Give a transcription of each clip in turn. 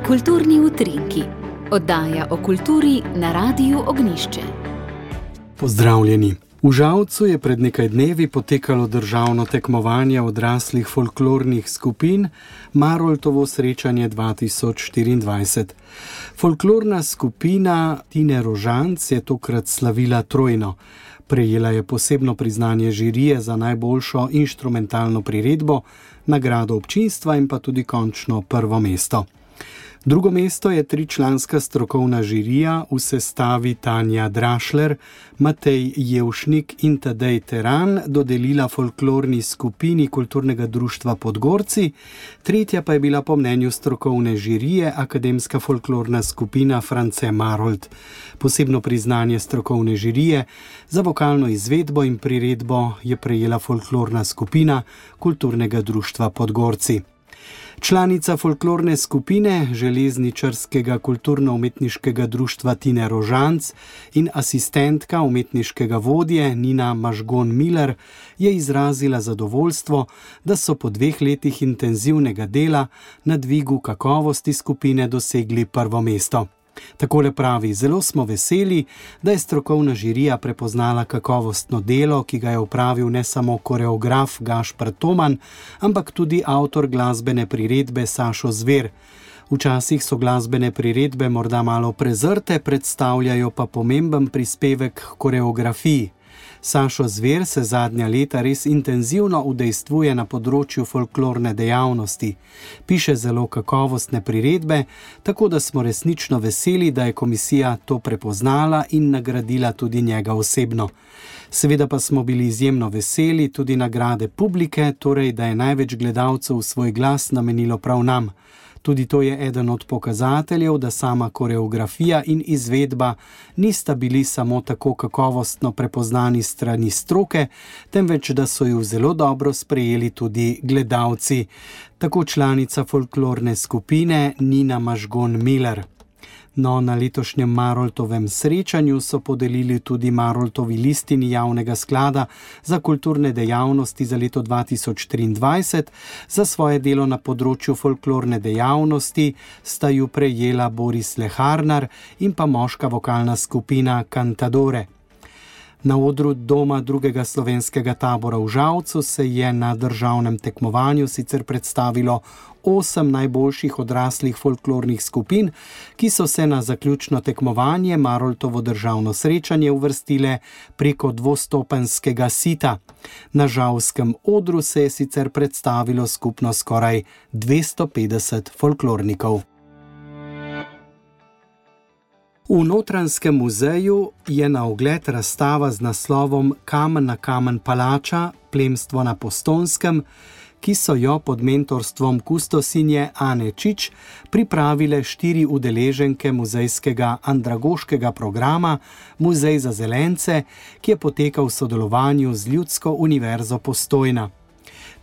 Kulturni utrinki, oddaja o kulturi na Radiu Ognjišče. Pozdravljeni. V Žalcu je pred nekaj dnevi potekalo državno tekmovanje odraslih folklornih skupin Maroltovo srečanje 2024. Folklorna skupina Tine Rožanc je tokrat slavila trojno. Prejela je posebno priznanje žirije za najboljšo inštrumentalno priredbo, nagrado občinstva in pa tudi končno prvo mesto. Drugo mesto je tričlanska strokovna žirija v sestavi Tanja Drašler, Matej Jevšnik in Tadej Teran dodelila folklorni skupini Kulturnega društva Podgorci, tretja pa je bila po mnenju strokovne žirije Akademska folklorna skupina France Marolt. Posebno priznanje strokovne žirije za vokalno izvedbo in priredbo je prejela folklorna skupina Kulturnega društva Podgorci. Članica folklorne skupine Železničarskega kulturno-umetniškega društva Tine Rožanc in asistentka umetniškega vodje Nina Mažgon-Miller je izrazila zadovoljstvo, da so po 2 letih intenzivnega dela na dvigu kakovosti skupine dosegli prvo mesto. Takole pravi: zelo smo veseli, da je strokovna žirija prepoznala kakovostno delo, ki ga je opravil ne samo koreograf Gašper Toman, ampak tudi avtor glasbene priredbe Sašo Zver. Včasih so glasbene priredbe morda malo prezrte, predstavljajo pa pomemben prispevek k koreografiji. Sašo Zver se zadnja leta res intenzivno udejstvuje na področju folklorne dejavnosti. Piše zelo kakovostne priredbe, tako da smo resnično veseli, da je komisija to prepoznala in nagradila tudi njega osebno. Seveda pa smo bili izjemno veseli tudi nagrade publike, torej da je največ gledalcev svoj glas namenilo prav nam. Tudi to je eden od pokazateljev, da sama koreografija in izvedba nista bili samo tako kakovostno prepoznani strani stroke, temveč da so ju zelo dobro sprejeli tudi gledalci. Tako članica folklorne skupine Nina Mažgon-Miller. No, na letošnjem Maroltovem srečanju so podelili tudi Maroltovi listini javnega sklada za kulturne dejavnosti za leto 2023. Za svoje delo na področju folklorne dejavnosti sta ju prejela Boris Leharnar in pa moška vokalna skupina Cantadore. Na odru Doma drugega slovenskega tabora v Žalcu se je na državnem tekmovanju sicer predstavilo 8 najboljših odraslih folklornih skupin, ki so se na zaključno tekmovanje Maroltovo državno srečanje uvrstile preko dvostopenjskega sita. Na žalskem odru se je sicer predstavilo skupno skoraj 250 folklornikov. V Notranjskem muzeju je na ogled razstava z naslovom Kamen na kamen palača, plemstvo na Postonskem, ki so jo pod mentorstvom kustosinje Ane Čič pripravile 4 udeleženke muzejskega andragoškega programa Muzej za zelence, ki je potekal v sodelovanju z Ljudsko univerzo Postojna.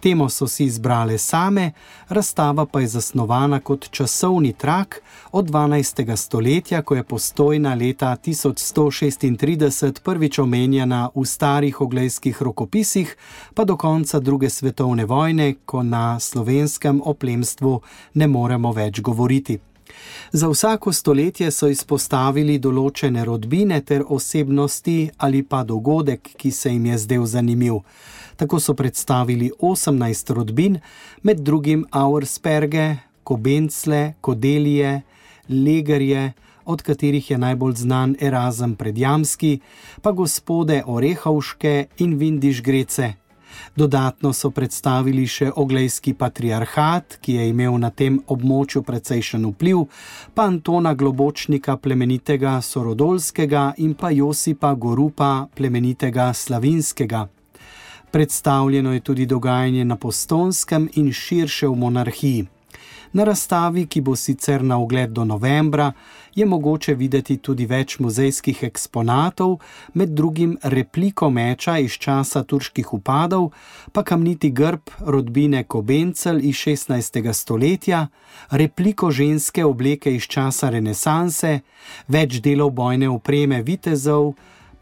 Temo so si izbrale same, razstava pa je zasnovana kot časovni trak od 12. stoletja, ko je Postojna leta 1136 prvič omenjena v starih oglejskih rokopisih, pa do konca 2. svetovne vojne, ko na slovenskem o plemstvu ne moremo več govoriti. Za vsako stoletje so izpostavili določene rodbine ter osebnosti ali pa dogodek, ki se jim je zdel zanimiv. Tako so predstavili 18 rodbin, med drugim Auersperge, Kobencle, Kodelije, Legerje, od katerih je najbolj znan Erazem Predjamski, pa gospode Orehovške in Vindišgrece. Dodatno so predstavili še oglejski patriarhat, ki je imel na tem območju precejšen vpliv, pa Antona Globočnika plemenitega Sorodolskega in pa Josipa Gorupa plemenitega Slavinskega. Predstavljeno je tudi dogajanje na Postonskem in širše v monarhiji. Na razstavi, ki bo sicer na ogled do novembra, je mogoče videti tudi več muzejskih eksponatov, med drugim repliko meča iz časa turških vpadov, pa kamniti grb rodbine Kobencel iz 16. stoletja, repliko ženske obleke iz časa renesanse, več delov bojne opreme vitezov,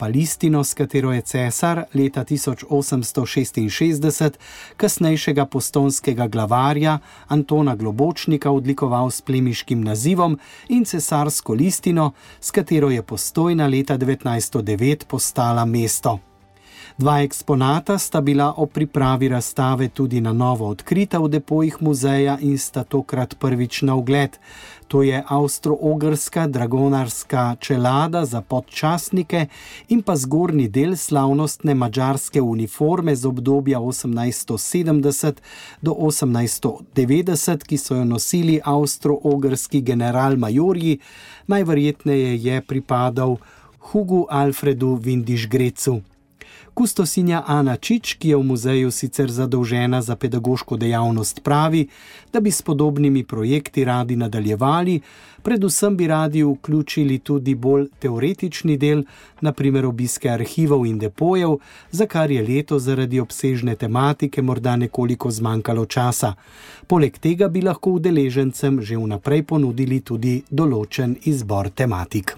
pa listino, s katero je cesar leta 1866 kasnejšega postojnskega glavarja Antona Globočnika odlikoval s plemiškim nazivom, in cesarsko listino, s katero je Postojna leta 1909 postala mesto. Dva eksponata sta bila ob pripravi razstave tudi na novo odkrita v depojih muzeja in sta tokrat prvič na ogled. To je avstro-ogrska dragonarska čelada za podčastnike in pa zgornji del slavnostne madžarske uniforme z obdobja 1870 do 1890, ki so jo nosili avstro-ogrski general-majorji, najverjetneje je pripadal Hugu Alfredu Windischgrätzu. Kustosinja Ana Čič, ki je v muzeju sicer zadolžena za pedagoško dejavnost, pravi, da bi s podobnimi projekti radi nadaljevali, predvsem bi radi vključili tudi bolj teoretični del, na primer obiske arhivov in depojev, za kar je letos zaradi obsežne tematike morda nekoliko zmanjkalo časa. Poleg tega bi lahko udeležencem že vnaprej ponudili tudi določen izbor tematik.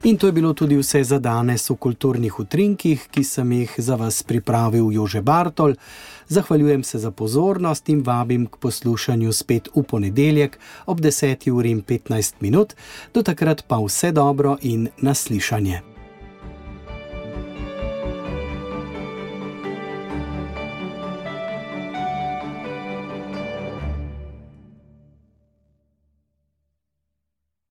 In to je bilo tudi vse za danes v Kulturnih utrinkih, ki sem jih za vas pripravil Jože Bartol. Zahvaljujem se za pozornost in vabim k poslušanju spet v ponedeljek ob 10:15. Do takrat pa vse dobro in naslišanje.